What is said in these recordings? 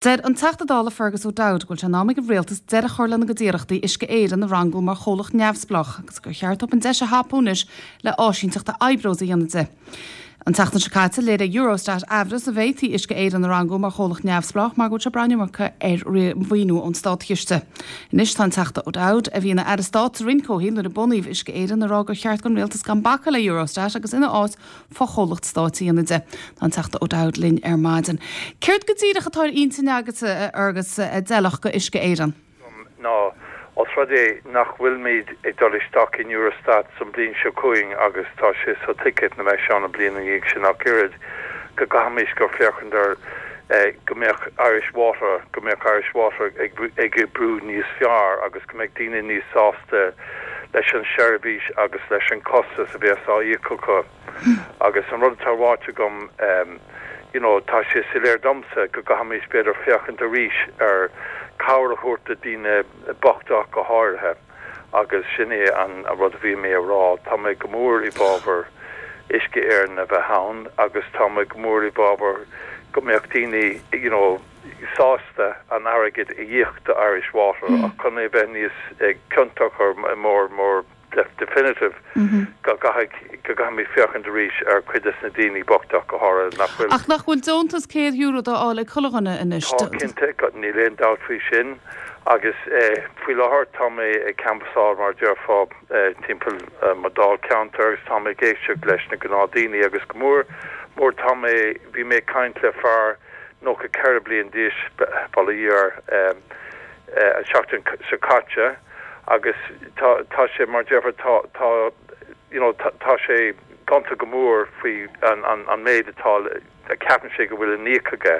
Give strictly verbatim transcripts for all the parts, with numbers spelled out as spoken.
Deir an Teachta Dála Fergus O'Dowd go bhfuil sé in am ag an rialtas deireadh a chur lena gcuid iarrachtaí Uisce Éireann a rangú mar chomhlacht neamhspleách agus gur cheart dóibh an deis a thapú anois le áisínteacht a oibreos a dhéanamh de. An tseachtain seo caite léirigh Eurostat aimhreas an bhféadfaí Uisce Éireann a rangú mar chomhlacht neamhspleách mar go bhfuil sé ag brath an iomarca ar mhaoiniú ón státchiste. Anois tá an Teachta O'Dowd a bhí ina aire stáit sa Roinn Comhshaoil nuair a bunaíodh Uisce Éireann ag rá gur cheart don rialtas gan bacadh le Eurostat agus ina áit fochomhlacht stáit a dhéanamh de. Tá an Teachta O'Dowd linn ar maidin. Céard go díreach atá ar intinn agat agus a d'fheilfeadh do Uisce Éireann? ná os rud é nach bhfuilmid ag dul isteach in Eurostat san bliain seo chugainn agus tá sé so ticket na mbeidh an bliain ina dhiaidh sin ach oiread go gcaithfimis gur féachaint ar eh, go mbeadh Irish Water go mbeadh Irish Water ag ag oibriú níos fearr agus go mbeadh daoine níos sásta leis an seirbhís agus leis an costas a bheas á íoc acu agus an rud atá ráite agam um, you know, tá sé soiléir domsa go gcaithfimis b'fhéidir féachaint arís ar cabhair a thabhairt do daoine bochta go háirithe agus sin é an a rud a bhí mé a rá tá mé go mór i bhfabhar Uisce Éireann a bheith ann agus tá mé go mór i bhfabhar go mbeadh daoine you know, sásta an airgead a íoc do Irish Water mm. ach chun é bheith níos ciontach mór mór definitive go go gcaithfimid féachaint arís ar chuid de na daoine bochta go háirithe nach bhfuil. Ach nach bhfuil deontas céad euro á fháil ag chuile dhuine anois. Tá cinnte níl aon dabht faoi sin agus eh, faoi láthair tá mé ag canbhasáil mar déarfá eh, timpeall eh, mo dáilcheantar agus tá mé ag éisteacht leis na gnáthdhaoine agus go mór mór tá mé bhí mé ag caint le fear nócha ceithre bliain d'aois bail ó Dhia air an seachtain seo caite agus tá tá sé mar déarfá tá tá you know tá tá sé gonta go mór faoi an an an méid atá a ceapann sé go bhfuil in íoc aige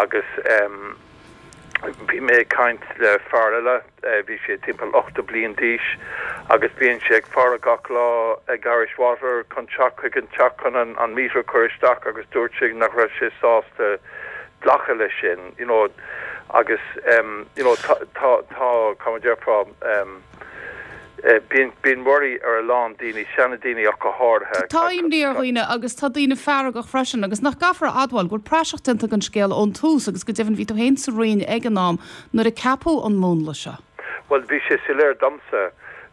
agus um, bhí mé ag caint le fear eile bhí sé timpeall ochtó bliain d'aois agus bíonn sé ag faire gach lá ag Irish Water chun teacht chuig an teach chun an, an meter chur isteach agus dúirt sé nach raibh sé sásta glacadh leis sin you know agus um, you know tá tá tá tá déarfá um, bíonn bíonn worry ar a lán daoine seandaoine ach go háirithe. Tá imní ar dhaoine agus tá daoine feargach freisin agus nach gcaithfear a admháil go bhfuil praiseach déanta den scéal ón tús agus go deimhin bhí tú féin sa Roinn ag an am nuair a ceapadh an múnla seo. Well bhí sé soiléir domsa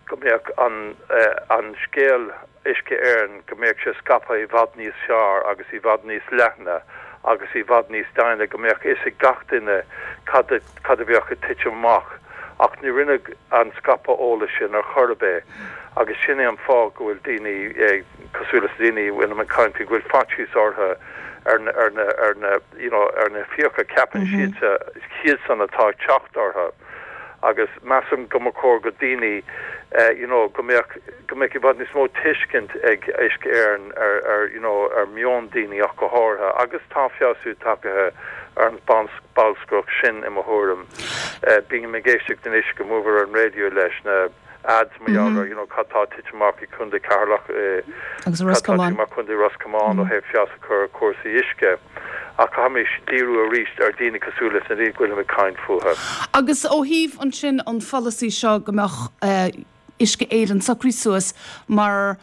go mbeadh an uh, an scéal Uisce Éireann go mbeadh sé scaipthe i bhfad níos fearr agus i bhfad níos leithne agus i bhfad níos daine go mbeadh fhios ag gach duine cad cad a bheadh ag titim amach ach ní rinneadh an scaipeadh eolais sin ar chor ar bith agus sin é an fáth go bhfuil daoine cosúil le daoine bhfuil an caint go bhfuil faitíos orthu ar na ar na ar na you know ar na fiacha ceapann siad siad san atá ag teacht orthu agus measaim go mba chóir go daoine uh, you know go mbeadh go mbeadh i bhfad níos mó tuiscint ag Uisce Éireann ar ar you know ar meon daoine ach go háirithe agus tá feabhsú tagtha ar an bolscaireacht sin i mo thuairim. Uh, Bím ag éisteacht anois go mór ar an raidió leis na ads mar mm -hmm. you know cad tá titim amach i Contae Cheatharlach agus Ros Comáin Contae Ros Comáin ó thaobh feabhas a chur cúrsaí uisce. ach caithfimis díriú arís ar daoine cosúil leis na daoine go bhfuil caint fúthu. Agus ó thaobh ansin an pholasaí seo go mbeadh uh, Uisce Éireann socraithe suas mar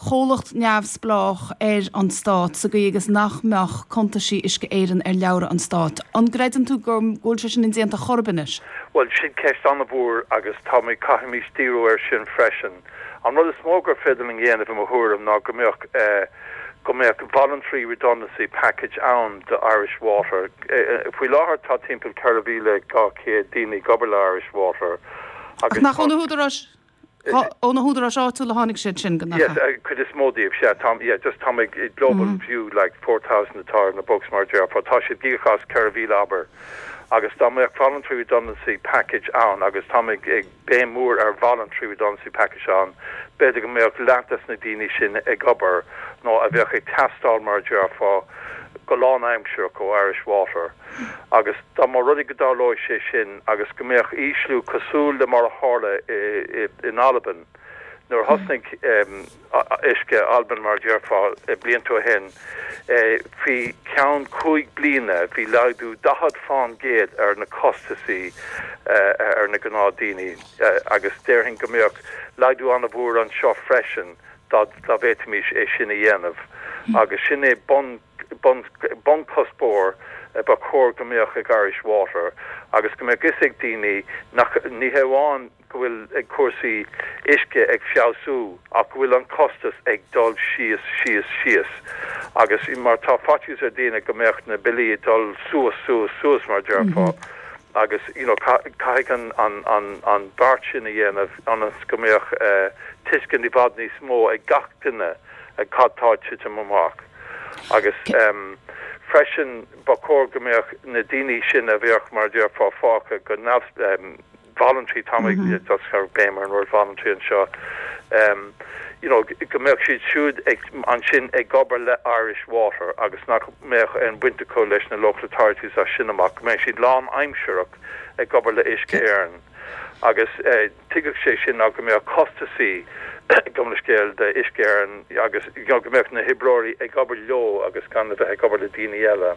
chomhlacht neamhspleách ar an stát sa gcaoi agus nach mbeadh cuntaisí Uisce Éireann ar leabhra an stáit. An gcreideann tú go bhfuil sé sin indéanta chor ar bith anois? Well sin ceist an-mhór agus tá mé caithfimis díriú ar sin freisin. An rud is mó gur féidir linn dhéanamh i mo thuairim ná go mbeadh uh, go mbeadh voluntary redundancy package ann do Irish Water. Faoi láthair tá timpeall ceithre mhíle dhá chéad daoine ag obair le Irish Water. Agus nach ó na húdaráis ó na húdaráis áitiúla a tháinig siad sin go Yes, cuid is mó díobh sé tá yeah, just tá global mm -hmm. view like four thousand atá ar na books mar déarfá tá siad gíochas ceithre mhíle abair. Agus dá mbeadh voluntary redundancy package ann agus tá ag béim mór ar voluntary redundancy package ann, b'fhéidir go mbeadh leath des na daoine sin ag obair nó a bheadh ag teastáil mar déarfá go lánaimsearach ó Irish Water. Agus dá mba rud é go dtarlódh sé sin agus go mbeadh ísliú cosúil le mar a tharla in Albain. Nuair thosnaigh um, Uisce Albain mar déarfá blianta ó shin faoi ceann cúig bliana bhí laghdú daichead faoin gcéad ar na costasaí ar na gnáthdhaoine agus déarfainn go mbeadh laghdú an-mhór anseo freisin dá bhféadfaimis é sin a dhéanamh agus sin é bun bun bunchuspóir ba chóir go mbeadh ag Irish Water agus go mbeadh fhios ag daoine nach ní hamháin go bhfuil ag cúrsaí uisce ag feabhsú ach go bhfuil an costas ag dul síos síos síos agus mar tá faitíos ar daoine go mbeadh na billí ag dul suas suas suas mar déarfá agus you know caithfidh an an an an beart sin a dhéanamh ionas go mbeadh uh, tuiscint i bhfad níos mó ag gach duine ag cad tá ag titim amach agus um, freisin ba chóir go mbeadh na daoine sin a bheadh mar déarfá fágtha go neamh um, voluntary tá mm -hmm. just béim ar an word voluntary anseo um, you know go mbeadh siad siúd ag ansin ag obair le Irish Water agus nach mbeadh aon bhaint acu leis na local authorities as sin amach go mbeadh siad lánaimsearach ag obair le Uisce Éireann agus eh, tuigfeadh sé sin ná go mbeadh costasaí gom le scéal de Uisce Éireann agus you know, go mbeadh na hoibreoirí ag obair leo agus gan a bheith ag obair le daoine eile.